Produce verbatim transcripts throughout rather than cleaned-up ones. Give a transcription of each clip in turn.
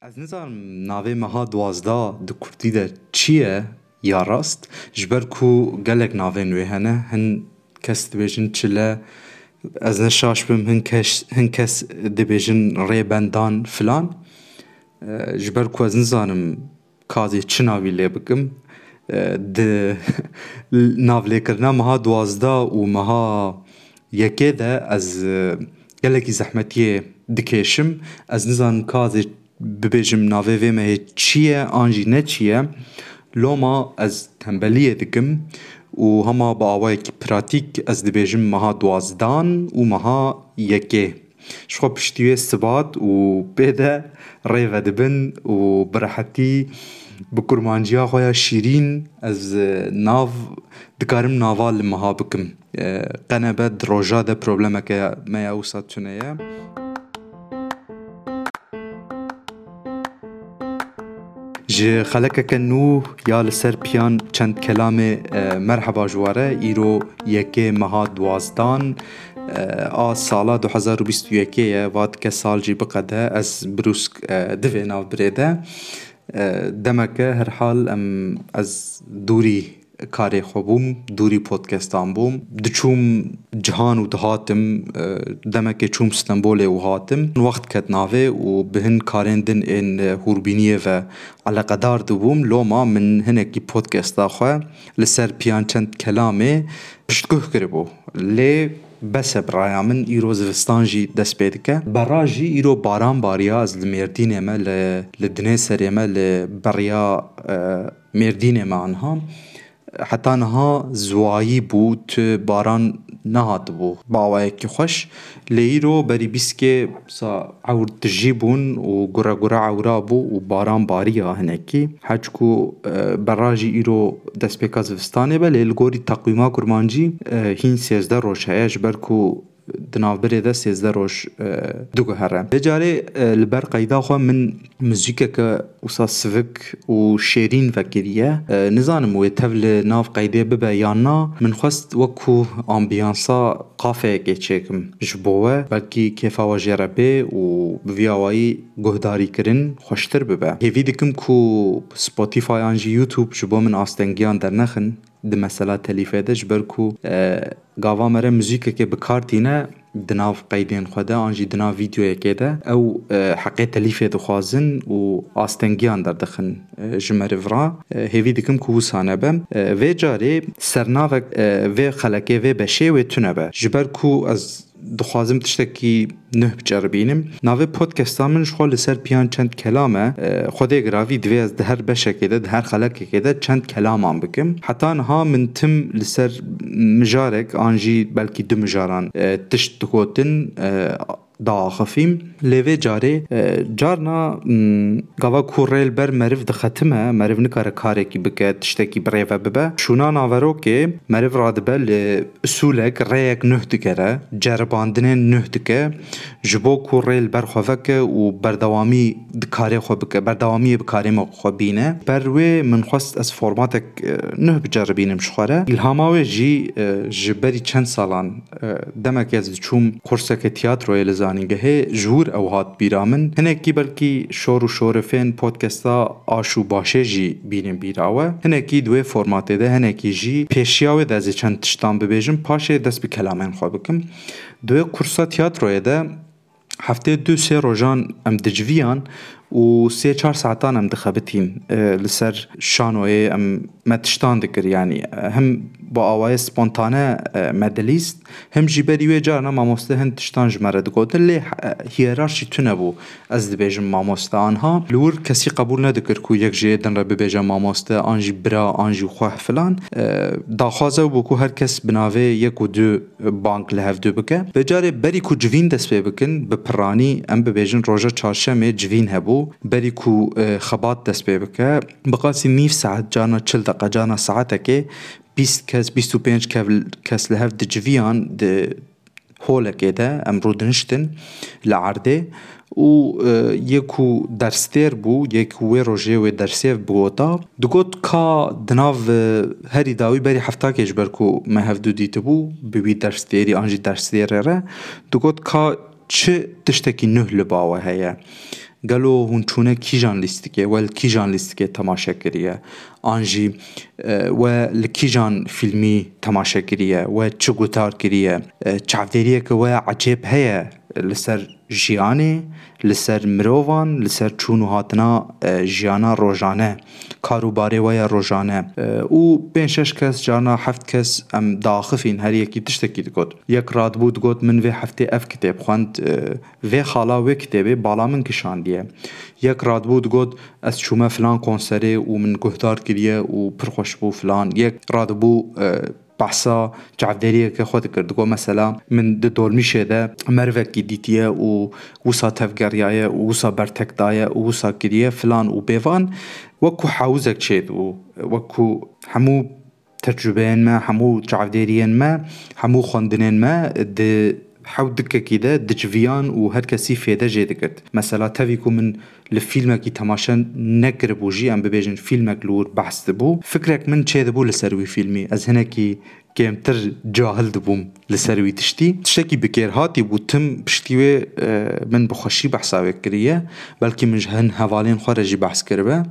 Ez nizanim navê meha duwazdeh di kurdî de çi ye ya rast, ji ber ku gelek navên wê hene, hin kes dibêjin çile, ez ne şaş bim, hin kes, hin kes dibêjin rêbendan filan. E, ji ber ku ez nizanim ka ez ê çi navî lê bikim. E, di navlêkirina meha duwazdeh û meha yekê de ez, e, gelekî zehmetiyê dikêşim. Ez nizanim ka ez ê bibêjim navê vê mehê çi ye an jî ne çi ye. Loma ez tembeliyê dikim û hema bi awayekî pratîk ez dibêjim meha duwazdan û meha yekê. Ji xwe piştî wê sibat û pê de rê vedibin û bi rehetî bi kurmanciya xwe ya şîrîn ez, e, nav dikarim nava li meha bikim. E, qe nebe di roja de problemeke me ya wisa tune ye. Ji xelekeke nû ya li ser piyan çend kelamê, e, merheba ji we re. Îro yekê meha duwazdan, e, a sala du hezar û bîst û yekê ye. Va dike sal jî biqede, ez brûsk, e, divê nav birê de. E, demeke herhal em, ez dûrî karê xwe bûm, dûrî podcastan bûm. Diçûm cihan û dihatim, e, demekê çûm Stenbolê û hatim. Wext ket navê û bi hin karên din ên, e, hûrbîniyê ve eleqedar dibûm. Loma min hinekî podcasta xwe li ser piyan çend kelamê piştguh kiribû. Lê bes e bi raya min, îro zivistan jî dest pê dike. Berra jî îro baran bariya, ez li Mêrdînê me, li, li Dinêserê me, li beriya, e, Mêrdînê me anha. Heta niha ziwayî bû, tu baran nehatibû bi awayekî xweş. Lê îro berî bîskê sa ewr tijî bûn û gure gure ewra bû û baran bariya hinekî. Heçku, e, berra jî îro destpêka zivistanê be, lê li gorî teqwîma kurmancî, e, hîn sêzdeh roj heye, ji ber ku di navbirê de sêzdeh roj, e, diguhere. Vê carê, e, li ber qeyda xwe min muzîkeke wisa sivik û şêrîn vekiriye. E, nizanim wê tev li nav qeydê bibe yan na. Min xwest wekku ambiyansa kafeyekê çêkim ji bo we. Belkî kêfa we jê re bê û bi vî awayî guhdarîkirin xweştir bibe. Hêvî dikim ku Spotify an jî YouTube ji bo min astengiyan dernexin di mesela telîfê de, ji ber ku, e, gava me re muzîkekê bi kar tîne di nav qeydên xwe de an jî di nav vîdeoyekê de, ew, e, heqê telîfê dixwazin û astengiyan derdixin, e, ji meriv re. E, hêvî dikim ku wisa nebe. E, vê carê sernavek, e, vê xelekê, vê beşê wê tune be. Ji ber ku ez dixwazim tiştekî nuh biceribînim. Navê podcasta min ji xwe li ser piyan çend kelam e. E, Xwedê giravî divê ez di her beşekê de, di her xelekekê de çend kelaman bikim. Heta niha min tim li ser mijarek an jî belkî du mijaran, e, tişt digotin, e, diaxifîm. Lê vê carê, e, carna, mm, gava ku rê li ber meriv dixetime, meriv nikare karekî bike, tiştekî bi rê ve bibe. Şûna naverokê meriv radibe li usûlek, rêyek nuh digere, ceribandinên nuh dike, ji bo ku rê li ber xwe veke û berdewamî di karê xwe bike, berdewamiyê bi karê me xwe bîne. Ber wê min xwest ez formatek, e, nuh biceribînim ji xwe re. Îlhama wê jî, e, ji berî çend salan, e, demekê ez diçûm kurseke tiyatroyê li zanîngehê, ji wir ew hat bîra min. Hinekî belkî şor û şorifên podcasta Aş û Başê jî bînin bîra we. Hinekî di wê formatê de, hinekî jî pêşiya wê de ez ê çend tiştan bibêjim, paşê dest bi kelamên xwe bikim. Di wê kursa tiyatroyê de heftê du sê rojan em diciviyan û sê çar saetan em dixebitîn, e, li ser şanoyê em me tiştan dikir, yanî, e, hem bi awayê spontane, e, me dilîst, hem jî berî wê carna mamoste hin tiştan ji me re digotin, lê, e, hiyerarşî tune bû. Ez dibêjim mamoste anha. Li wir kesî qebûl nedikir ku yek ji yê din re bibêje mamoste, an jî bira, an jî xweh filan. E, daxwaz ew bû ku her kes bi navê yek û du bang li hevdu bike. Vê carê berî ku civîn dest pê bikin, bi piranî em bibêjin roja çarşemê civîn hebû. Berî ku, e, xebat dest pê bike, bi qasî nîv saet, carna çil deqe, carna saetekê bîst kes, bîst û pênc kev-, kes li hev diciviyan di holekê de, em rûdiniştin li erdê û, e, yê ku derstêr bû, yê ku wê rojê wê dersê bigota, digot ka di nav, e, herî dawî berî heftakê ji ber ku me hevdu dîtibû, bi wî derstêrî an jî derstêrê re, digot ka çi tiştekî nuh li ba we heye. Gelo hûn çûne kîjan lîstikê, we li kîjan lîstikê temaşe kiriye? An jî, e, we li kîjan fîlmî temaşe kiriye? We çi guhdar kiriye? E, çavdêriyeke we ecêb heye li ser jiyanê, li ser mirovan, li ser çûn û hatina, e, jiyana rojane, kar û barê we ya rojane. E, û pênc şeş kes, carna heft kes em diaxifîn, her yekî tiştekî digot. Yek radibû digot, min vê heftê ev kitêb xwend, e, vê xala wê kitêbê bala min kişandiye. Yek radibû digot, ez çûme filan konserê û min guhdar kiriye û pir xweş bû filan. Yek radibû, e, behsa çavdêriyeke xwe dikir. Digot, mesela, min di dolmîşê de merivekî dîtiye û wisa tevgeriyaye û wisa bertek daye û wisa kiriye filan û bêvan. Wekku hewzek çêdibû, wekku hemû tecrûbeyên me, hemû çavdêriyên me, hemû xwendinên me di hew dikekî de diciviyan û her kesî fêde jê digirt. Mesela, tevî ku min li fîlmekî temaşe nekiribû jî, em bibêjin fîlmek li wir behs dibû, fikrek min çêdibû li ser wî fîlmî. Ez hinekî kêmtir cahil dibûm li ser wî tiştî. Tiştekî bikêrhatî bû, tim piştî wê, e, min bi xweşî behsa wê kiriye. Belkî min ji hin hevalên xwe re jî behs kiribe.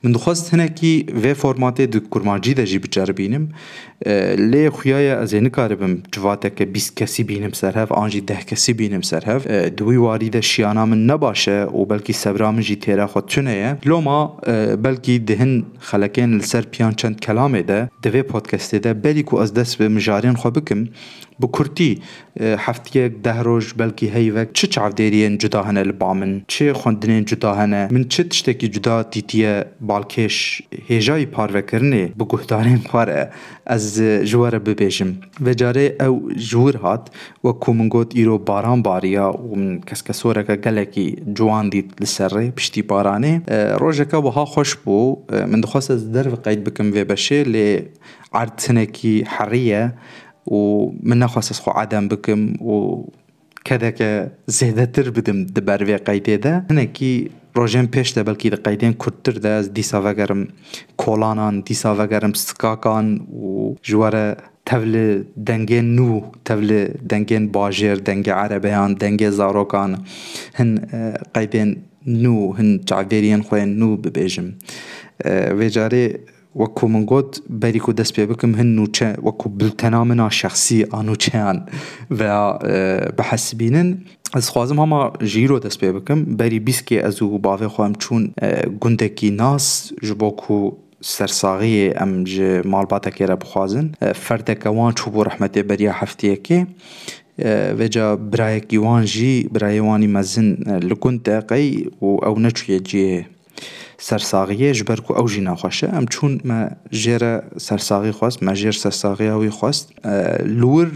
Min dixwest hinekî vê formatê di kurmancî de jî biceribînim. E, lê xuya ye ez ê nikaribim civateke bîst kesî bînim ser hev, an jî deh kesî bînim ser hev. E, di wî warî de şiyana min ne baş e û belkî sebra min jî têra xwe tune ye. Loma, e, belkî di hin xelekên li ser piyan çend kelamê de, di vê podcastê de berî ku ez dest bi mijarên xwe bikim, bi kurtî, e, heftiyek, deh roj, belkî heyvek, çi çavdêriyên cuda hene li ba min, çi xwendinên cuda hene, min çi tiştekî cuda dîtiye balkêş, hêjayî parvekirinê bi guhdarên xwe re ez, e, ji we re bibêjim. Vê carê ew ji wir hat, wek ku min got, îro baran bariya û min keskesoreke gelekî ciwan dît li ser rê piştî baranê. E, rojeke wiha xweş bû. E, min dixwest ez derve qeyd bikim vê beşê, lê erd hinekî herî ye û min nexwest ez xwe edem bikim û kedeke zêdetir bidim di ber vê qeydê de. Hinekî rojên pêş de belkî di qeydên kurttir de ez dîsa vegerim kolanan, dîsa vegerim skakan û ji we re tev li dengên nû, tev li dengên bajêr, dengê erebeyan, dengê zarokan, hin, e, qeydên nû, hin çavdêriyên xwe yên nû bibêjim. E, vê carê, wek ku min got, berî ku dest pê bikim, hin nûçe, wek ku biltena min a şexsî a nûçeyan veya, e, bihesibînin. Ez dixwazim hema ji îro dest pê bikim. Berî bîst kê ez û bavê xwe em çûn, e, gundekî nas, ji bo ku sersaxiyê em ji malbatekê re bixwazin. E, ferdeke wan çûbû rehmetê beriya heftiyekê. E, vêca birayekî wan jî, birayê wanî mezin, e, li gund e qey û ew neçûye cihê sersaxiyê, ji ber ku ew jî nexweş e. Em çûn, me jê re sersaxî xwest, me jêr sersaxiya wî xwest. E, li wir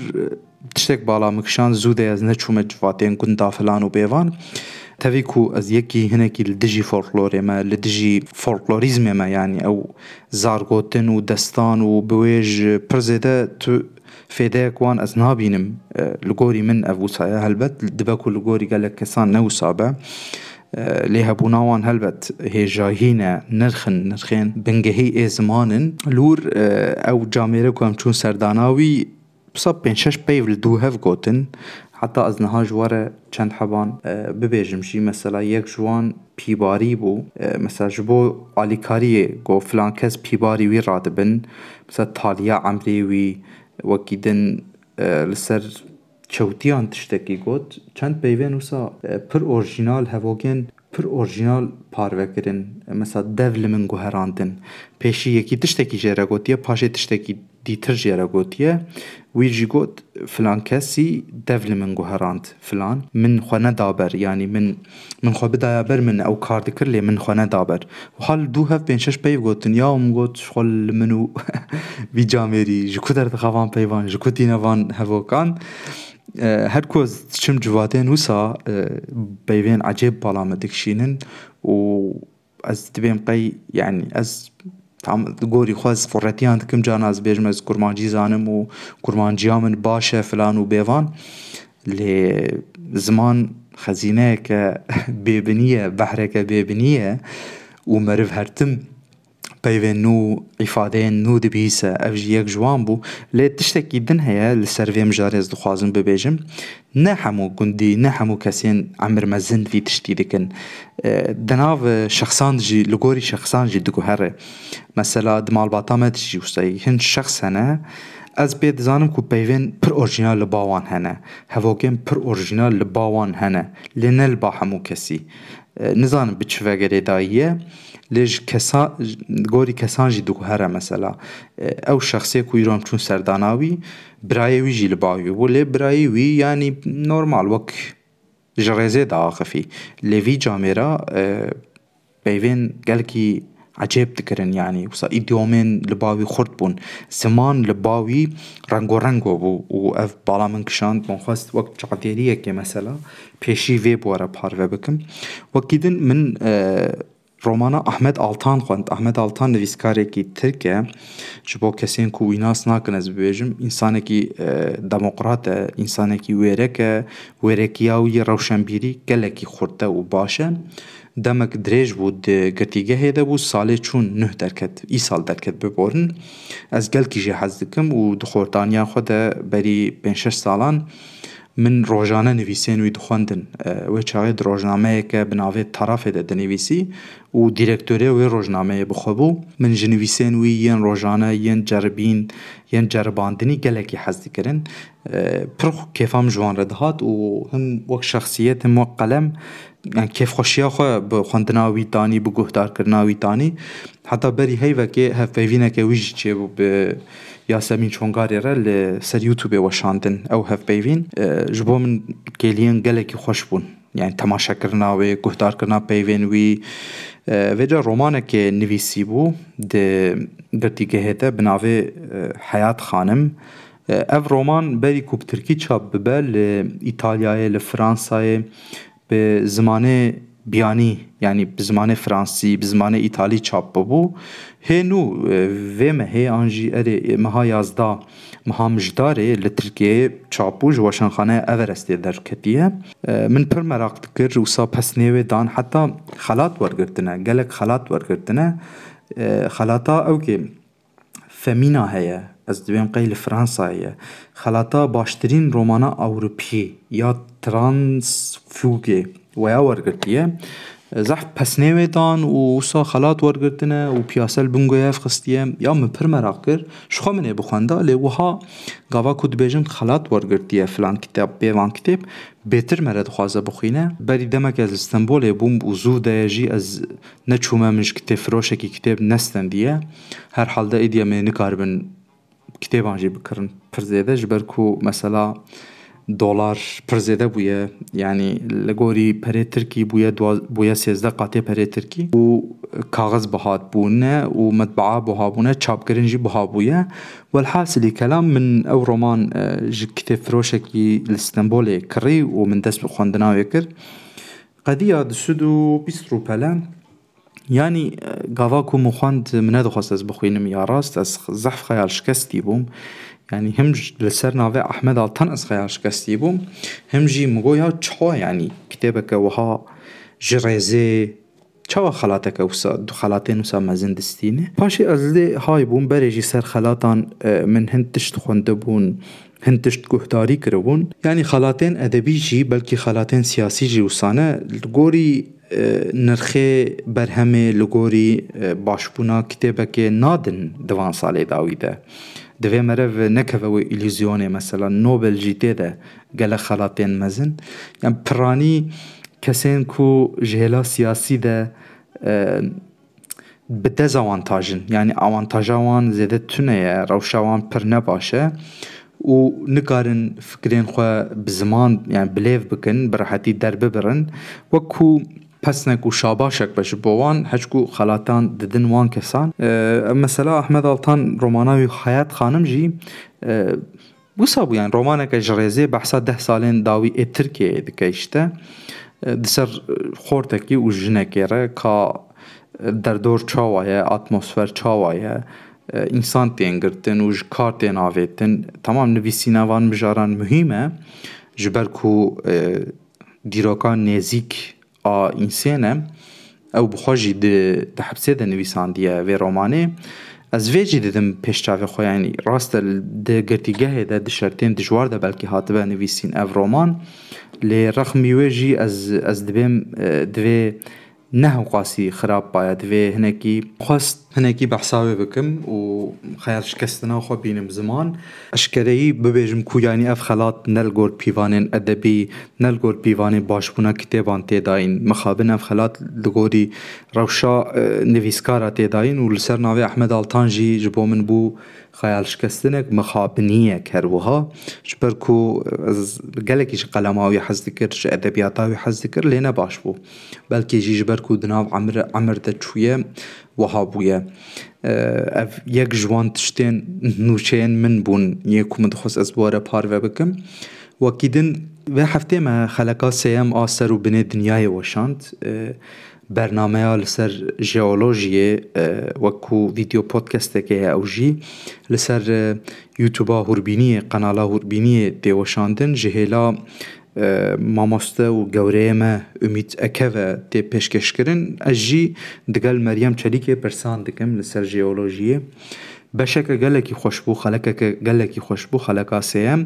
tiştek bala min kişand, zû de ez neçûme civatên gunda filan û bêvan. Tevî ku ez yekî hinekî li dijî folklorê me, li dijî folklorîzmê me, yanî ew zargotin û destan û biwêj pir zêde tu fêdeyek wan ez nabînim. E, li gorî min ev wisa ye. Helbet dibe ku li gorî gelek kesan ne wisa be. E, lê hebûna wan helbet hêjayî ne, nirx in, nirxên bingehî ê ziman in. Li wir, e, ew camêre ku em çûn serdana wî, wisa pênc şeş peyv li dû hev gotin. Heta ez niha ji we re çend heban, e, bibêjim jî. Mesela yek ji wan pîbarî bû. E, mesela ji bo alîkariyê got filan kes pîbarî wî radibin. Mesela taliya emrê wî, wekî din, e, li ser çewtiyan tiştekî got. Çend peyvên wisa, e, pir orjînal, hevogên pir orjînal parve kirin. E, mesela dev li min guherandin. Pêşî yekî tiştekî jê re gotiye, paşê tiştekî dîtir jê re gotiye. Wî jî got, filan kesî dev li min guherand filan. Min xwe neda ber, yanî min, min xwe bidaya ber, min ew kar dikir, lê min xwe neda ber. Wiha li dû hev pênc şeş peyv gotin, ya min got, ji xwe li min û vî camêrî, ji ku derdixe van peyvan, ji ku tîne van hevokan. E, her ku ez diçim civatên wisa, e, peyvên ecêb bala me dikişînin û ez dibêm qey, yanî ez tam di gorî xwe ez xuretiyan dikim, carna ez bêjim ez kurmancî zanim û kurmanciya min baş e filan û bêvan. Lê ziman xezîneyeke bêbinî ye, behreke bêbinî ye û meriv her tim peyvên nû, îfadeyên nû dibihîse, ev jî yek ji wan bû. Lê tiştekî din heye li ser vê mijarê ez dixwazim bibêjim. Ne hemû gundî, ne hemû kesên emir mezin vî tiştî dikin. E, di nav şexsan jî, li gorî şexsan jî diguhere. Mesela di malbata me de jî wisa hin şexs hene. Ez pê dizanim ku peyvên pir orjînal li ba wan hene. Hevokên pir orjînal li ba wan hene. Lê ne li ba hemû kesî. E, nizanim bi çi ve girêdayî ye. Lê ji kesa-, gorî kesan jî diguhere mesela. E, ew şexsê ku îro em çûn serdana wî, birayê wî jî li ba wî bû. Lê birayê wî, yanî normal, wek ji rêzê diaxifî. Lê vî camêra, e, peyvên gelkî ecêb dikirin, yanî wisa îdiomên li ba wî xurt bûn. Ziman li ba wî rengorengo bû û ev bala min kişand, min xwest wek çavdêriyekê mesela pêşî vê bi we re parve bikim. Wekî din min, e, romana Ahmet Altan xwend. Ahmet Altan nivîskarekî tirk e. Ji bo kesên ku wî nas nakin ez bibêjim, însanekî, e, demokrat e, însanekî wêrek e, wêrekiya wî yê rewşenbîrî gelekî xurt e û baş e. Demek dirêj bû di girtîgehê de bû, salê çûn nuh derket, îsal derket biborin. Ez gelkî jê hez dikim û di xortaniya xwe de berî pênc şeş salan min rojane nivîsên wî dixwendin. E, wê çaxê di rojnameyeke bi navê Tarafê de dinivîsî û dîrektorê wê rojnameyê bi xwe bû. Min ji nivîsên wî yên rojane, yên ceribîn, yên ceribandinî gelekî hez dikirin. E, pir kêfa min ji wan re dihat û him wek şexsiyet, him wek qelem, yani kêfxweşiya xwe bi xwendina wî tanî, bi guhdarkirina wî tanî. Heta berî heyvekê hevpeyvîneke wî jî çêbû bi Yasemîn Çongarê re li ser YouTubeê weşandin ew hevpeyvîn. E, ji bo min kêliyên gelekî xweş bûn. Yani temaşekirina wê, guhdarkirina peyvên wî. E, vêca romanekê nivîsîbû di girtîgehê de bi navê, e, Heyat Xanim. E, ev roman berî ku bi tirkî çap bibe li Îtalyayê, li Fransayê, bi zimanê biyanî, yanî bi zimanê fransî, bi zimanê îtalî çap bibû. Hê nû, e, vê mehê an jî erê, e, meha yazdeh, meha Mijdarê li Tirkiyeyê çap bû, ji Weşanxaneya Everestê derketiye. E, min pir meraq dikir, wisa pesnê wê dan, heta xelat wergirtine, gelek xelat wergirtine. E, xelata ew kê Femîna heye, ez dibêm qey li Fransayê ye. Xelata baştirîn romana Ewropî ya Transfuge weya wergirtiye. Zehf pesnê wê dan û wisa xelat wergirtine û piyase li bin guhev xistiye. Ya min pir meraq kir. Ji xwe min ê bixwenda, lê wiha gava ku dibêjin xelat wergirtiye filan kitêb, bê van kitêb, bêtir me re dixwaze bixwîne. Berî demek ez li Stenbolê bûm û zû de ye jî ez neçûme, min ji kitêbfiroşekî kitêb nestendiye. Herhalde êdî em ê nikaribin kitêban jî bikirin pir zêde, ji ber ku mesela dolar pir zêde bûye, yanî li gorî perê tirkî bûye dua-, bûye sêzdeh qatê perê tirkî û kaxiz biha bûne û metbaa buha bûne, çapkirin jî buha bûye. Welhasilî kelam, min ew roman, e, ji kitêbfiroşekî li Stenbolê kirî û min dest bi xwendina wê kir. Qediya du sed û bîst rûpele. Yanî, e, gava ku min xwend, min nedixwest ez bixwînim ya rast, ez zehf xeyal şikestî bûm. Yanî him j-, li ser navê Ahmed Altan ez xeyal şikestî bûm, him jî min got ya çawa, yanî kitêbeke wiha ji rêzê, çawa xelateke wisa, du xelatên wisa mezin distîne? Paşê ez lê hay bûm, berê jî ser xelatan, e, min hin tişt xwendibûn, hin tişt guhdarî kiribûn. Yanî xelatên edebî jî, belkî xelatên siyasî jî wisa ne. Li gorî, e, nirxê berhemê, li gorî, e, başbûna kitêbekê nadin di van salê dawî de. Divê meriv nekeve wê îlûzyonê, mesela Nobel jî tê de gelek xelatên mezin. Yan piranî kesên ku ji hêla siyasî de, e, bi dezawantaj in. Yanî awantaja wan zêde tune ye, rewşa wan pir ne baş e û nikarin fikrên xwe bi ziman, yani bi lêv bikin, bi rehetî derbibirin. Wek ku pesnek û şabaşek be ji bo wan, heçku xelatan didin wan kesan. E, mesela Ahmed Altan romana wî Hayat Xanim jî, e, Wisa bû, yani romaneke ji rêzê behsa deh salên dawî ê Tirkiyeyê dike işte. E, di ser, e, xortekî û jinekê re ka, e, derdor çawa ye, atmosfer çawa ye, e, însan tên girtin û ji kar tên avêtin. Tamam, nivîsîna van mijaran muhîm e, ji ber ku, e, dîroka nêzîk a însê ne. Ew bi xwe jî di, di hepsê de nivîsandiye vê romanê. Ez vê jî didim pêş çavê xwe, yanî rast e, di girtîgehê de, di şertên dijwar de belkî hatibe nivîsîn ev roman. Lê rexmî wê jî ez, ez dibêm, e, divê ne hewqasî xirab baye, divê hinekî xwest hinekî behsa wê bikim û xeyal şikestina xwe bînim ziman. Eşkereyî bibêjim ku yanî ev xelat ne li gor pîvanên edebî, ne li gor pîvanê başbûna kitêban tê dayîn. Mixabin ev xelat li gorî rewşa, e, nivîskara tê dayîn û li ser navê Ehmed Altan jî ji bo min bû xeyalşikestinek, mixabiniyek her wiha. Ji ber ku ez gelekî ji qelema wî hez dikir, ji edebiyata wî hez dikir, lê ne baş bû. Belkî jî ji ber ku di nav emir, emir de çûye, wiha bûye. E, ev yek ji wan tiştên nûçeyên min bûn, yê ku min dixwest ez bi we re parve bikim. Wekî din, vê heftê me xeleka sêyem a Ser û Binê Dinyayê weşand. E, bernameya li ser jeolojiyê, e, wek ku vîdeo podcastekê ye ew jî, li ser, e, YouTube-a Hûrbîniyê, qenala Hûrbîniyê tê weşandin. Ji hêla, e, mamoste û gewreyê me Umît Eke ve tê pêşkêşkirin. Ez jî digel Meryem Çelîkê pirsan dikim li ser jeolojiyê. Beşeke gelekî xweş bû, xelekeke gelekî xweş bû, xeleka sêyem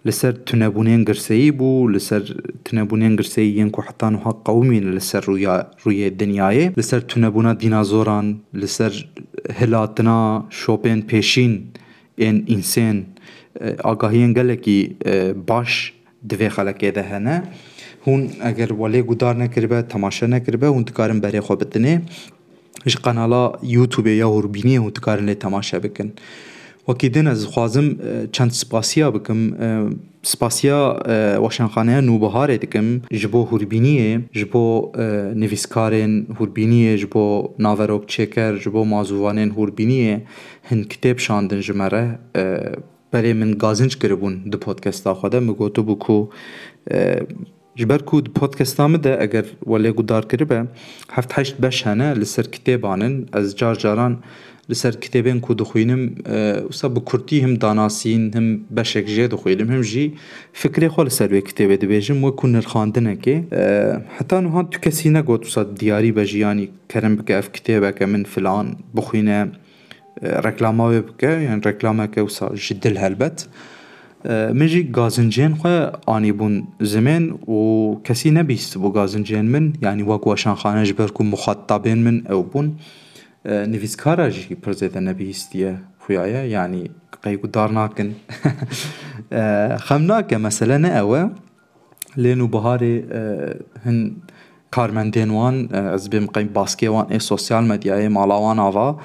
li ser tunebûnên girseyî bû, li ser tunebûnên girseyî yên ku heta niha qewimîn li ser rûya, rûyê dinyayê, li ser tunebûna dînazoran, li ser hilatina şopên pêşîn ên însên, e, agahiyên gelekî, e, baş di vê xelekê de hene. Hûn eger we lê guhdar nekiribe, temaşe nekiribe, hûn dikarin berê xwe bidinê. Ji qenala YouTube-ê ya Hûrbîniyê hûn dikarin lê temaşe bikin. Wekî din ez dixwazim, e, çend spasiya bikim. E, spasiya, e, Weşanxaneya Nûbiharê dikim ji bo Hûrbîniyê, ji bo, e, nivîskarên Hûrbîniyê, ji bo naverokçêker, ji bo mazûvanên Hûrbîniyê hin kitêb şandin ji me re. E, berê min gazinc kiribûn di podcasta xwe de. Min gotibû ku, e, ji ber ku di podcasta min de, eger we lê guhdar kiribe, heft heşt beş hene li ser kitêban in. Ez car caran li ser kitêbên ku dixwînim, e, wisa bi kurtî him danasîn, him beşek jê dixwînim, him jî fikrê xwe li ser wê kitêbê dibêjim, wekû nirxandinekê. E, heta niha tu kesî negot wisa diyarî be jî, yanî kerem bike ev kitêbeke min filan bixwîne, e, reklama wê bike, yan reklameke wisa ji dil helbet. E, min jî gazincên xwe anîbûn zimên û kesî nebihîstibû gazincên min, yanî wek weşanxane, ji ber ku muxatabên min ew bûn. E, nivîskara jî pir zêde nebihîstiye xuya ye, yanî qey guhdar nakin. E, xem nake, mesele ne ew e. Lê Nûbiharê, e, hin karmendên wan, e, ez bêm qey baskê wan ê sosyal medyayê, mala wan ava,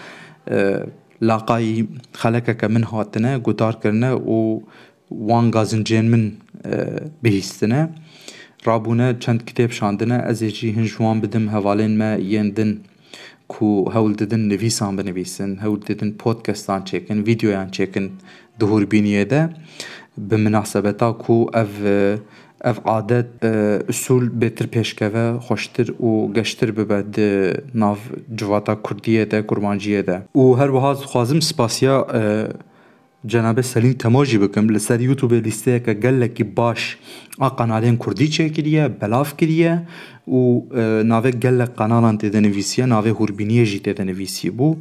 e, laqayî xelekeke min hatine, guhdar kirine û wan gazincên min, e, bihîstine. Rabûne çend kitêb şandine, ez ê jî hin ji wan bidim hevalên me yên din ku hewl didin nivîsan binivîsin, hewl didin podcastan çêkin, vîdeoyan çêkin di Hûrbîniyê de. Bi minasebeta ku ev, ev adet, e, usûl bêtir pêşkeve, xweştir û geştir bibe di nav civata kurdiyê de, kurmanciyê de. Û her wiha dixwazim spasiya, e, Cenabê Selîm Temo jî bikim. Li ser YouTube lîsteyeke gelekî baş a qenalên kurdî çêkiriye, belav kiriye û, e, navê gelek qenalan tê de nivîsiye, navê Hûrbîniyê jî tê de nivîsî bû.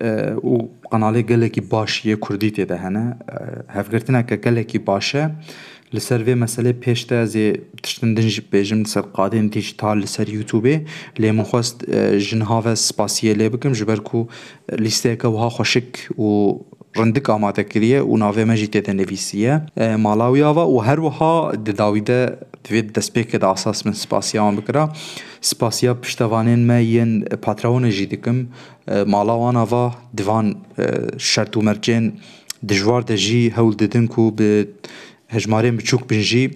E, û qenalê gelekî baş yê kurdî tê de hene. E, hevgirtineke gelekî baş e. Li ser vê meselê pêş de ez ê tiştin din jî bêjim, li ser qadên dîjîtal, li ser YouTubeê. Lê min xwest, e, ji niha ve spasiyê lê bikim, ji ber ku lîsteyeke wiha xweşik û rindik amade kiriye û navê me jî tê de nivîsiye. E, mala wî ava û her wiha di dawî de, di vê destpêkê de asas min spasiya wan bikira. Spasiya piştevanên me yên Patreonê jî dikim. E, mala wan ava di van, e, şert û mercên dijwar de jî hewl didin ku bi hejmarên biçûk bin jî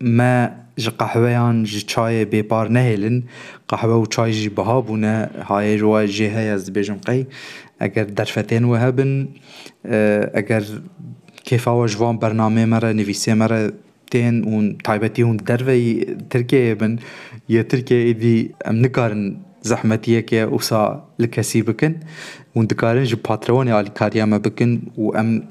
me ji qehweyan, ji çayê bêpar nehêlin. Qehwe û çay jî biha bûne, hayê ji we jê heye, ez dibêjim qey. Eger derfetên we hebin, e, eger kêfa we ji van bernameyê me re, nivîsê me re tên û taybetî hûn derveyî Tirkiyeyê bin, yê Tirkiyeyê êdî em nikarin zehmetiyeke wisa li kesî bikin. Hûn dikarin ji Patreonê alîkariya me bikin û em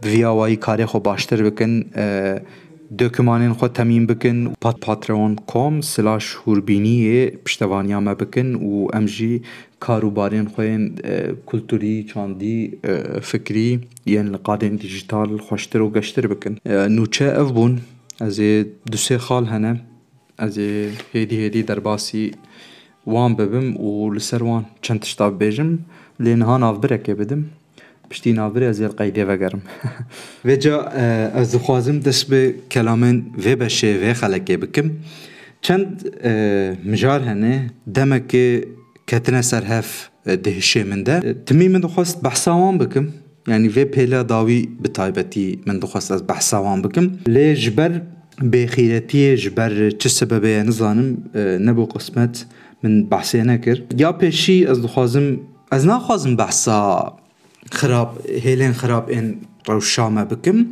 bi vî awayî karê xwe baştir bikin. E, Dokumanên xwe temîn bikin, pat-, patreon.com slash hûrbîniyê piştevaniya me bikin û em jî kar û barên xwe yên, e, kulturî, çandî, e, fikrî yên li qadên dîjîtal xweştir û geştir bikin. E, nûçe ev bûn. Ez ê du sê xal hene. Ez ê hêdî hêdî derbasî wan bibim û li ser wan çend tişta bibêjim. Lê niha navbirekê bidim. Piştî navbirê ez ê li qeydê vegerim. Vêca, e, ez dixwazim dest bi kelamên vê beşê, vê xelekê bikim. Çend, e, mijar hene, demekê ketine ser hev, e, di hişê min de. E, timî min dixwest behsa wan bikim. Yanî vê pêla dawî bi taybetî min dixwest ez behsa wan bikim. Lê ji ber bêxîretiyê, ji ber çi sebebê ye nizanim, e, nebû qismet min behsê nekir. Ya pêşî ez dixwazim, ez naxwazim behsa xirab, hêlên xirab ên rewşa me bikim.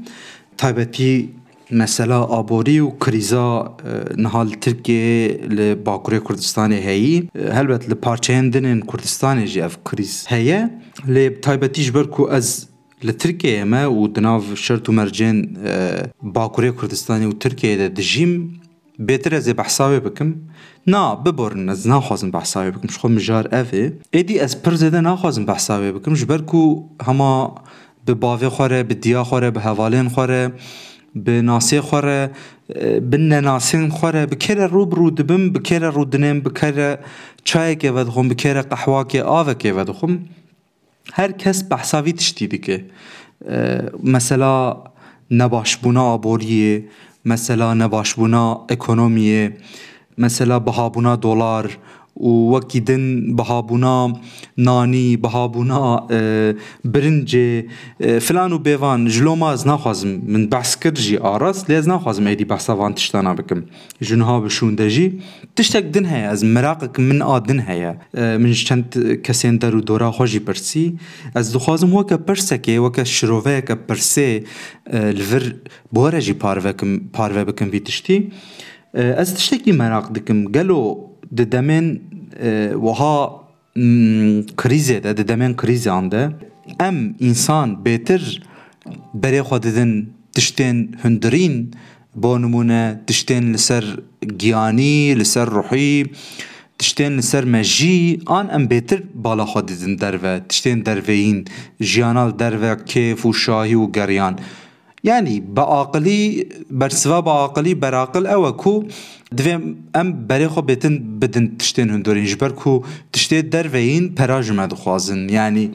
Taybetî mesela aborî û krîza, e, niha li Tirkiyeyê, li Bakurê Kurdistanê heyî. E, helbet li parçeyên din ên Kurdistanê jî ev krîz heye. Lê bi taybetî ji ber ku ez li Tirkiyeyê me û di nav şert û mercên, e, Bakurê Kurdistanê û Tirkiyeyê de dijîm, bêtir ez ê behsa wê bikim. Na, biborin, ez naxwazim behsa wê bikim. Ji xwe mijar ev ê. Êdî ez pir zêde naxwazim behsa wê bikim. Ji ber ku hema bi bavê xwe re, bi diya xwe re, bi hevalên xwe re, bi nasê xwe re, e, bi nenasên xwe re, bi kê re rû bi rû dibim, bi kê re rûdinêm, bi kê re çayekê vedixwim, bi kê re qehwakê, avekê vedixwim. Her kes behsa vî tiştî dike. E, mesela nebaşbûna aboriyê, mesela nebaşbûna ekonomiyê, mesela bihabûna dolar û wekî din bihabûna nanî, bihabûna, e, birincê, e, filan û bêvan. Ji loma ez naxwazim, min behs kir jî a rast, lê ez naxwazim êdî behsa van tiştana bikim. Ji niha bi şûnde jî tiştek din heye, ez meraqek min a din heye. E, min ji çend kesên der û dora xwe jî pirsî. Ez dixwazim weke pirsekê, weke şiroveyeke pirsê, e, li vir bi we re jî parve kim, parve bikim vî tiştî. E, ez tiştekî meraq dikim. Gelo di demên, e, wiha, mm, krîzê de, di demên krîzan de em însan bêtir berê xwe didin tiştên hundirîn, bo nimûne tiştên li ser giyanî, li ser ruhî, tiştên li ser mejî, an em bêtir bala xwe didin derve, tiştên derveyîn, jiyana li derve kêf û şahî û geriyan. Yanî bi aqilî, bersiva bi aqilî, beraqil ew e ku divê em berê xwe bêtin bidin tiştên hundirîn, ji ber ku tiştê derveyîn pera ji me dixwazin. Yanî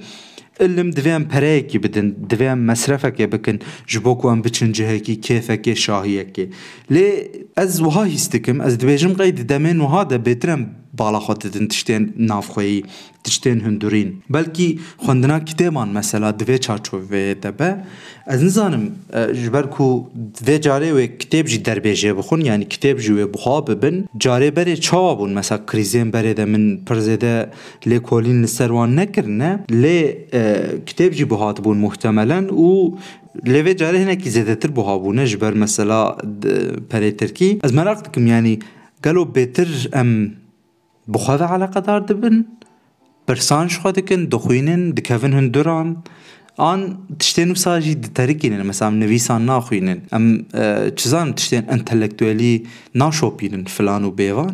ilim divê em pereyekî bidin, divê em mesrefekê bikin, ji bo ku em biçin cihekî kêfekê, şahiyekê. Lê ez wiha hîs dikim, ez dibêjim qey di demên wiha de bêtir em bala xwe didin tiştên navxweyî, tiştên hundirîn. Belkî xwendina kitêban mesela di vê çarçoveyê de be. Ez nizanim, e, ji ber ku vê carê wê kitêb jî derbêjê bixwin, yanî kitêb jî wê buha bibin. Carê berê çawa bûn? Mesela krîzên berê de min pir zêde lêkolîn li ser wan nekirine. Lê, e, kitêb jî buha dibûn muhtemelen û lê vê carê hinekî zêdetir buha bûne ji ber mesela, d-, perê tirkî. Ez meraq dikim, yanî gelo bêtir em bi xwe ve eleqedar dibin, pirsan ji xwe dikin, dixwînin, dikevin hunduran, an tiştên wisa jî diterikînin, mesela em nivîsan naxwînin, em, e, çi zanim, tiştên entelektuelî naşopînin filan û bêvan.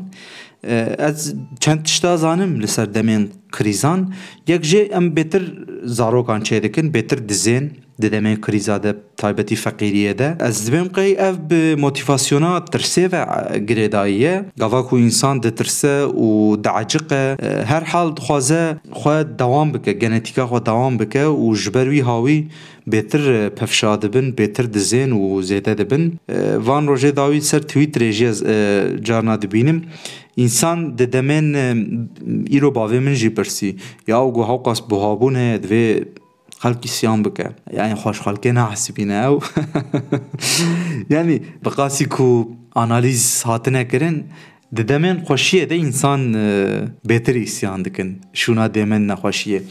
E, ez çend tişta zanim li ser demên krîzan, yek jê em bêtir zarokan çêdikin, bêtir dizên, di demên krîza de, taybetî feqîriyê de. Ez dibêm qey ev bi motivasyona tirsê ve, e, girêdayî ye. Gava ku însan ditirse û dieciqe, e, her hal dixwaze xwe dewam bike, genetîka xwe dewam bike û ji ber wî hawî bêtir, e, pevşa dibin, bêtir dizên û zêde dibin. E, van rojê dawî ser Twitterê jî ez, e, carna dibînim. Însan di demên, e, îro bavê min jî pirsî, ya û got, hewqas buhabûn heye, divê xelk îsyan bike. Yanî xweş xelkê nahesibîne ew. Yanî bi qasî ku analîz hatine kirin, Di demên xweşiyê de însan, e, bêtir îsyan dikin, şûna demên nexweşiyê.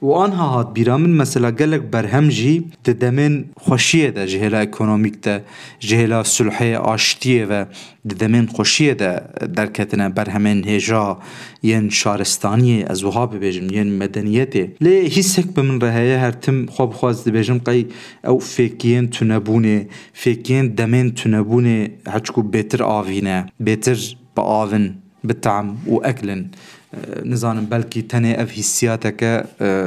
Û anha hat bîra min, mesela gelek berhem jî di demên xweşiyê de, ji hêla ekonomîk de, ji hêla sulhê, aştiyê ve, di demên xweşiyê de derketine, berhemên hêja yên şaristaniyê, ez wiha bibêjim, yên medeniyetê. Lê hîsek bi min re heye, her tim xwe bi xwe ez dibêjim, qey ew fêkiyên tunebûnê, fêkiyên demên tunebûnê heçku bêtir avîne, bêtir bi avin, bi tam û eklin. E, nizanim, belkî tenê ev hîssiyateke, e,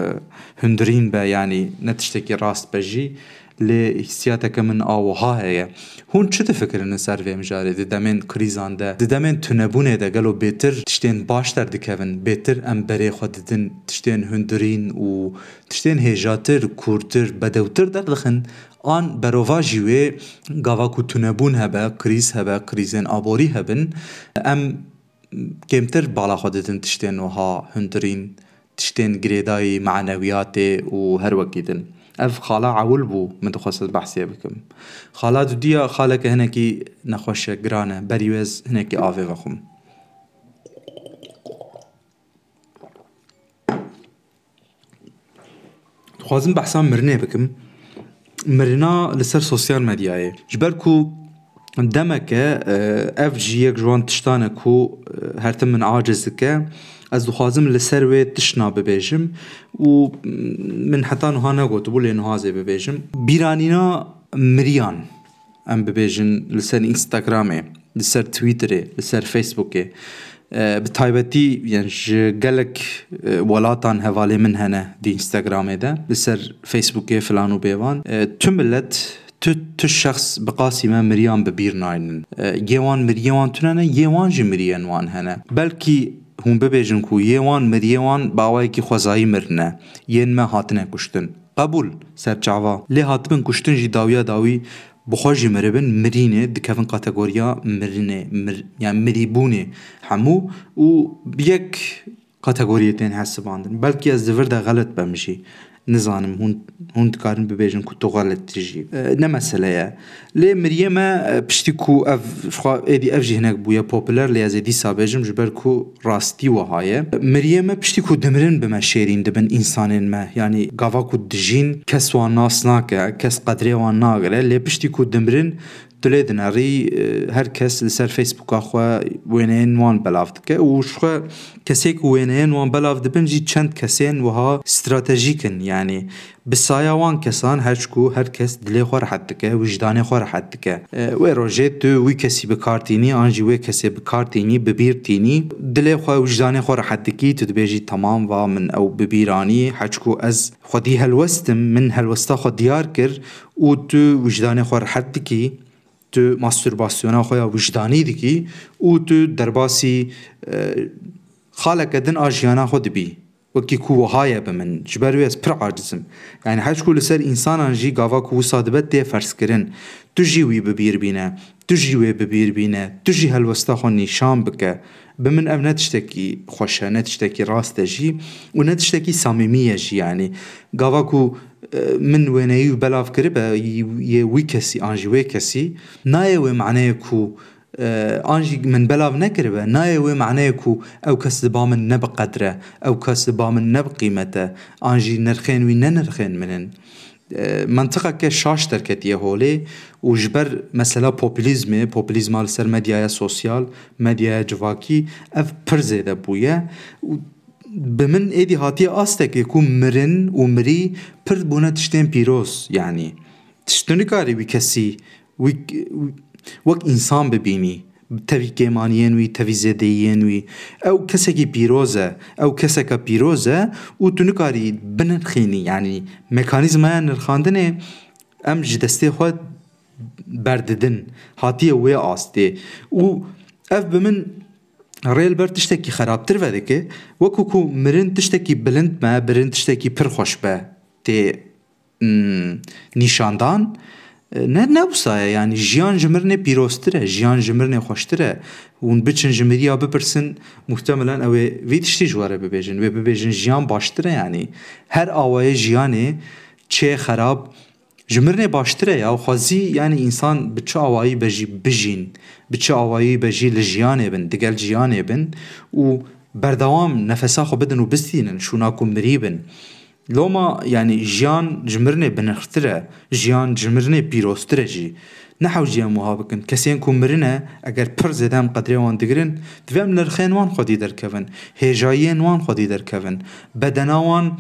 hundirîn be, yanî ne tiştekî rast be jî, lê hîssiyateke min a wiha heye. Hûn çi difikirin li ser vê mijarê? Di demên krîzan de, di demên tunebûnê de gelo bêtir tiştên baş derdikevin, bêtir em berê xwe didin tiştên hundirîn û tiştên hêjatir, kûrtir, bedewtir derdixin? An berovajî wê, gava ku tunebûn hebe, krîz hebe, krîzên aborî hebin, em kêmtir bala xwe didin tiştên wiha hundirîn, tiştên girêdayî manewiyatê û her wekî din. Ev xala ewil bû min dixwest ez behsê bikim. Xala dudiya xaleke hinekî nexweş e, giran e, berî wê ez hinekî avê vexwim. Dixwazim behsa mirinê bikim. Mirina li ser sosyal medyayê. Ji ber ku demeke, e, ev jî yek ji wan tiştan e ku, e, her tim min aciz dike. Ez dixwazim li ser wê tiştna bibêjim û min heta niha negotibû, lê niha zê bibêjim. Bîranîna miriyan, em bibêjin, li ser Instagramê, li ser Twitterê, li ser Facebookê, e, bi taybetî, yani ji gelek, e, welatan hevalê min hene di Instagramê de, li ser Facebookê filan û bêvan. E, tu milet, tu, tu şexs bi qasî me miriyan bi bîr naynin. E, yê wan miriyê wan tune ne, yê wan jî miriyên wan hene. Belkî hûn bibêjin ku yê wan miriyê wan bi awayekî xwezayî mirine, yên me hatine kuştin. Qebûl, serçava. Lê hatibin kuştin jî dawiya dawî bi xwe jî miribin, mirînê, dikevin kategoriya mirinê, mir-, yani mirîbûnê hemû û bi yek kategoriyê tên hesibandin. Belkî ez di vir de xelet bim jî. Nizanim, hûn, hûn dikarin bibêjin ku tu xelet jî. E, ne mesele ye. Lê miriyê me, e, piştî ku ev, xwe êdî ev jî hinek bûye populer, lê ez ê dîsa bêjim, ji ber ku rastî wiha ye. Miriyê me piştî ku dimirin bi me şêrîn dibin însanên me. Yanî gava ku dijîn kes wan nas nake, kes qedrê wan nagire. Lê piştî ku dimirin tu lê dinerî, e, her kes li ser Facebooka xwe wêneyên wan belav dike û ji xwe kesê ku wêneyên wan belav dibin jî çend kesên wiha stratejîk in. Yanî bi saya wan kesan, her çiku her kes dilê xwe rehet dike, wijdanê xwe rehet dike. E, wê rojê tu wî kesî bi kar tînî, an jî wê kesê bi kar tînî, bi bîr tînî, dilê xwe, wijdanê xwe rehet dikî, tu dibêjî, temam, va min ew bi bîr anî, her çiku ez xwedî helwest im, min helwesta xwe diyar kir û tu wijdanê xwe rehet dikî, tu mastûrbasyona xwe ya wijdanî dikî û tu derbasî, e, xaleke din a jiyana xwe dibî. Wekî ku wiha ye bi min, ji ber wê ez pir aciz im. Yanî her çiku li ser însanan jî gava ku wisa dibe tê ferzkirin. Tu jî wî bi bîr bîne, tu jî wê bi bîr bîne, tu jî helwesta xwe nîşan bike. Bi min ev ne tiştekî xweş e, ne tiştekî rast e jî û ne tiştekî samîmî ye jî yanî. Gava ku, e, min wêneyî wî belav kiribe, yê wî kesî an jî wê kesî, nayê wê maneyê ku, e, an jî min belav nekiribe, nayê wê maneyê ku ew kes li ba min ne bi qedr e, ew kes li ba min ne bi qîmet e, an jî nirxên wî ne nirxên min in. E, mentiqeke şaş derketiye holê û ji ber mesela populîzmê, populîzma li ser medyaya sosyal, medyaya civakî, ev pir zêde bûye û bi min êdî hatiye astekê ku mirin û mirî pir bûne tiştên pîroz, yanî. Tişt tu nikarî wî kesî, wî, wî, wek însan bibînî, tevî kêmaniyên wî, tevî zêdeyiyên wî. Ew kesekî pîroz e, ew keseke pîroz e û tu nikarî binirxînî, yanî mekanîzmaya nirxandinê em ji destê xwe berdidin, hatiye wê astê. Û ev bi min rê li ber tiştekî xerabtir vedike, wekî ku mirin tiştekî bilind me, mirin tiştekî pir xweş be tê, mm, nîşandan. E, ne, ne wisa ye, yanî jiyan ji mirinê pîroztir e, jiyan ji mirinê xweştir e. Hûn biçin ji miriya bipirsin, muhtemelen ew ê vî tiştî ji we re bibêjin. Wê bibêjin jiyan baştir e, yanî her awayê jiyanê çê xerab, Ji mirinê baştir e ya, xwezî yani însan bi çi awayî be jî bijîn, bi çi awayî be jî li jiyanê bin, digel jiyanê bin û berdewam nefesa xwe bidin û bistînin, şûna ku mirî bin. Loma yani jiyan ji mirinê binirxtir e, jiyan ji mirinê pîroztir e jî. Nehewcî em wiha bikin. Kesên ku mirine, eger pir zêde em qedrê wan digirin, divê em nirxên wan xwedî derkevin, hêjayiyên wan xwedî derkevin. Bedena wan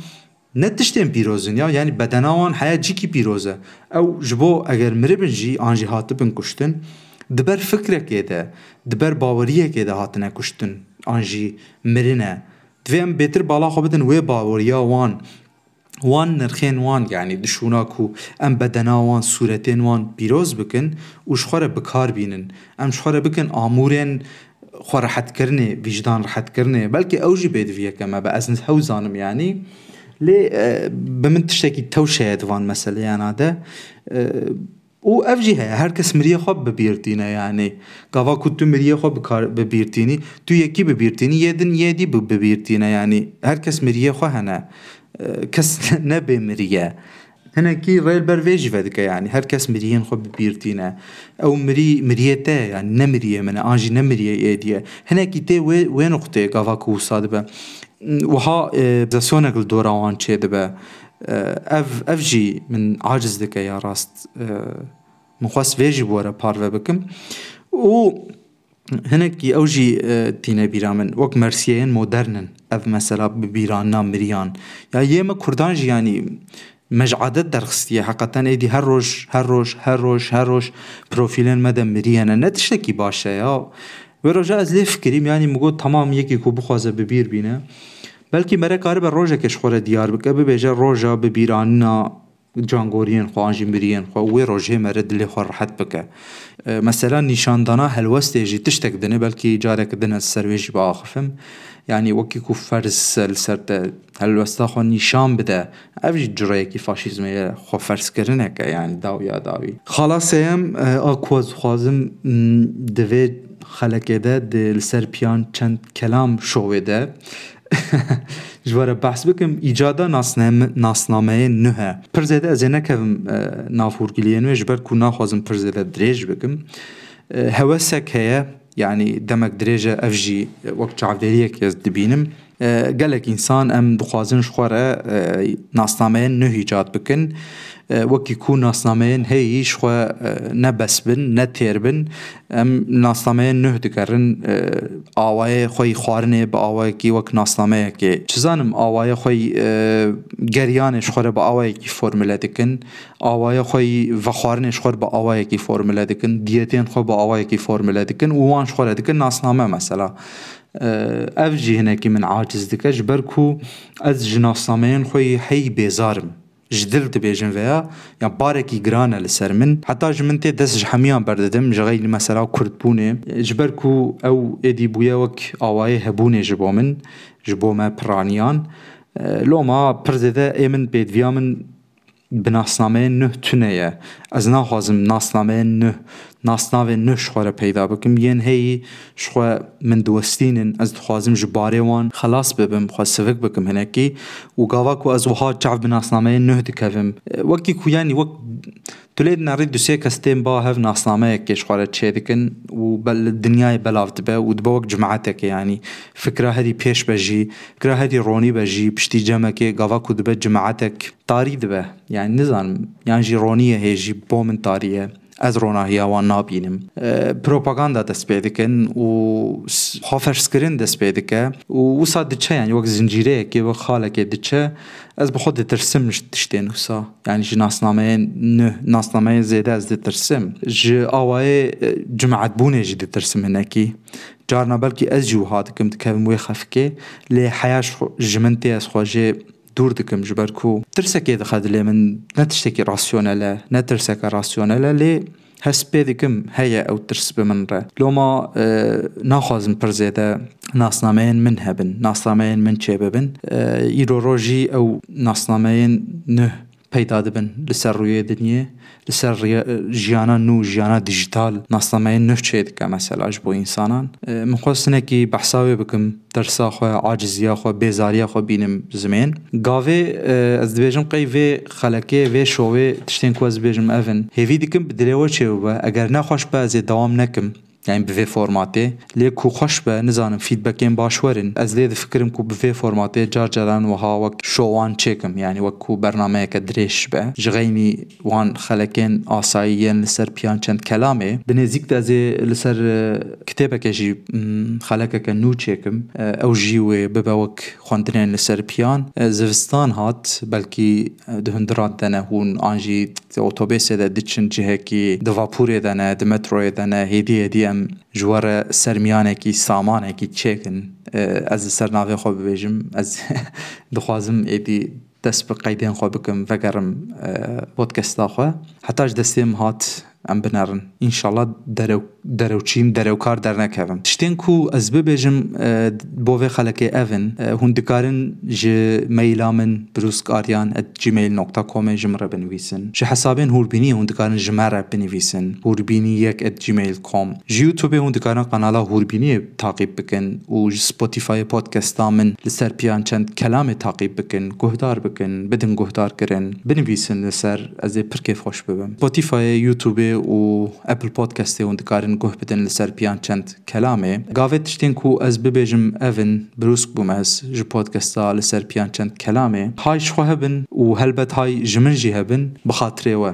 ne tiştên pîroz in ya, yani bedena wan heya cîkî pîroz e. Ew ji bo eger miribin jî an jî hatibin kuştin, di ber fikrekê de, di ber baweriyekê de hatine kuştin an jî mirine. Divê em bêtir bala xwe bidin wê baweriya wan, wan nirxên wan, yani di şûna ku em bedena wan, sûretên wan pîroz bikin û ji xwe re bi kar bînin. Em ji xwe re bikin amûrên xwe rehetkirinê, vîjdan rehetkirinê. Belkî ew jî bêdiviyeke me be, ez hew zanim yani. Lê, e, bi min tiştekî tewşe ye di van meseleyana de. E, û ev jî heye, her kes miriyê xwe bi bîr tîne yani. Gava ku tu miriyê xwe bi kar, bi bîr tînî, tu yekî bi bîr tînî, yê din yê dî bi, bi bîr tîne yani. Her kes miriyê xwe hene. E, kes ne bê miriye. Hinekî rê li ber vê jî vedike, yani her kes miriyên xwe bi bîr tîne. Ew mirî, miriyê te ye, yani ne miriyê min e, an jî ne miriyê êdî ye. Hinekî tê wê, wê nuqteyê gava ku wisa dibe. Wiha, e, obsesyonek li dora wan çêdibe. E, ev, ev jî min aciz dike ya rast. E, min xwest vê jî bi we re parve bikim. Û hinekî ew jî, e, tîne bîra min. Wek mersiyeyên modern in ev mesela bi bîranina miriyan. Ya yê me kurdan jî, yanî, me ji adet derxistiye. Heqeten êdî her roj, her roj, her roj, her roj profîlên me de mirî hene. Ne tiştekî baş e ya. Wê roja ez lê fikirîm, yanî min got, tamam, yekî ku bixwaze bi bîr bîne. Belkî mere karibe rojekê ji xwe re diyar bike, bibêje roja bi bîranina cangoriyên xwe an jî miriyên xwe û wê rojê mere dilê xwe rehet bike. E, mesela nîşandana helwestê jî tiştek din e, belkî careke din ez ser wê jî biaxifim. Yanî wekî ku ferz e li ser te helwesta xwe nîşan bide, ev jî cureyekî faşîzmê ye, xweferzkirineke, yanî dawiya dawî. Xala sêyem, e, a ku ez dixwazim, m, di vê xelekê de, di li ser piyan çend kelam şovê de, ji we re behs bikim, îcada nasname-, nasnameyên nuh e. Pir zêde ez ê nekevim, e, nav hûrgiliyên wê, ji ber ku naxwazim pir zêde dirêj bikim. E, hewesek heye, yanî demek dirêj e, ev jî, e, wek çavdêriyek ez dibînim. E, gelek însan em dixwazin ji xwe re, e, nasnameyên nuh îcad bikin. E, wekî ku nasnameyên heyî ji xwe, e, ne bes bin, ne têr bin. Em nasnameyên nuh digerin, e, awayê xwe yî xwarinê bi awayekî wek nasnameyekê. Çi zanim, awayê xwe yî, e, geriyanê ji xwe re bi awayekî formule dikin. Awayê xwe yî vexwarinê ji xwe re bi awayekî formule dikin. Diyetên xwe bi awayekî formule dikin û wan ji xwe re dikin nasname mesela. E, ev jî hinekî min aciz dike, ji ber ku ez ji nasnameyên xwe yî heyî bêzar im. Ji dil dibêjim veya, ya barekî giran e li ser min. Heta ji min tê dest ji hemiyan berdidim, ji xeylî mesela kurdbûnê. Ji ber ku ew êdî bûye wek awayê hebûnê ji bo min, ji bo me piraniyan. E, loma pir zêde ê min pêdiviya min bi nasnameyên nuh tune ye. Ez naxwazim nasnameyên nuh, nasnavên nuh ji xwe re peyda bikim. Yên heyî ji xwe min diwestînin, ez dixwazim ji barê wan xelas bibim, xwe sivik bikim hinekî. Û gava ku ez wiha çav bi nasnameyên nuh dikevim, e, wekî ku, yanî wek tu lê dinerî du sê kes tên ba hev nasnameyekê ji xwe re çêdikin û bel-, dinyayê belav dibe û dibe wek cimaetekê, yanî fikra herî pêş be jî, fikra herî ronî be jî, piştî cemekê gava ku dibe cimaetek tarî dibe. Yani nizanim, yan jî ronî ye hê jî bo min tarî ye. Ez ronahiya wan nabînim. E, propaganda dest pê dikin û s-, xweferzkirin dest pê dike û wisa diçe, yani wek zincîreyekê, wek xalekê diçe. Ez bi xwe ditirsim ji tiştên wisa. Yani ji nasnameyên nuh, nasnameyên zêde ez ditirsim. Ji awayê, e, cimaetbûnê jî ditirsim hinekî. Carna belkî ez jî wiha dikim, dikevim wê xefkê. Lê heya ji xwe, ji min tê, ez xwe jê dûr dikim, ji ber ku tirsekê dixe dilê min, ne tiştekî rasyonel e, ne tirseke rasyonel e, lê hest pê dikim heye ew tirs bi min re. Loma, e, naxwazim pir zêde nasnameyên min hebin, nasnameyên min çêbibin. E, îro rojî ew nasnameyên nuh peyda dibin li ser rûyê dinyê, li ser riya-, jiyana nû, jiyana dijital, nasnameyên nû çê dike mesela ji bo însanan. E, min xwest hinekî behsa wê bikim, tersa xwe, aciziya xwe, bêzariya xwe bînim zimên. Gavê, e, ez dibêjim qey vê xelekê, vê şovê tiştên ku ez dibêjim ev in. Hêvî dikim bi dilê we çêbibe. Eger ne xweş be, ez ê dewam nekim. Yani bi vê formatê. Lê ku xweş be, nizanim feedbackên baş werin. Ez lê difikirim ku bi vê formatê car caran wiha wek şowan çêkim. Yani wek ku bernameyeke dirêj be. Ji xeynî wan xelekên asayî yên li ser piyan çend kelamê. Bi nêzîk de ez ê li ser, e, kitêbeke jî, mm, xelekeke nû çêkim. E, ew jî wê bibe wek xwendinên li ser piyan. E, zivistan hat, belkî, e, di hundiran de ne hûn an jî di otobêsê de diçin cihekî, di vapûrê de ne, di metroyê de ne, hêdî hêdî em ji we re sermiyanekî, samanekî çêkin. E, ez li ser navê xwe bibêjim, ez dixwazim êdî dest bi qeydên xwe bikim, vegerim, e, podcasta xwe. Heta ji destê min hat, em binerin. Înşallah derew-, derewçîm, derewkar dernekevim. Tiştên ku ez bibêjim, e, bo vê xelekê ev in. E, hûn dikarin ji maila min bruskaryan at gmail nokta comê ji min re binivîsin. Ji hesabên hûrbîniyê hûn dikarin ji me re binivîsin. Hûrbînî yek at gmail com. Ji YouTubeê hûn dikarin kanala Hûrbîniyê taqîb bikin û ji Spotifyê podcasta min li ser piyan çend kelamê taqîb bikin, guhdar bikin, bidin guhdarkirin, binivîsin li ser, ez ê pir kêfxweş bibim. Spotifyê, YouTubeê û Apple Podcastê hûn dikarin guh bidin li ser piyan çend kelamê. Gavê tiştên ku ez bibêjim ev in, brûsk bûm ez ji podcasta li ser piyan çend kelamê. Hay ji xwe hebin û helbet hay ji min jî hebin, bi xatirê we.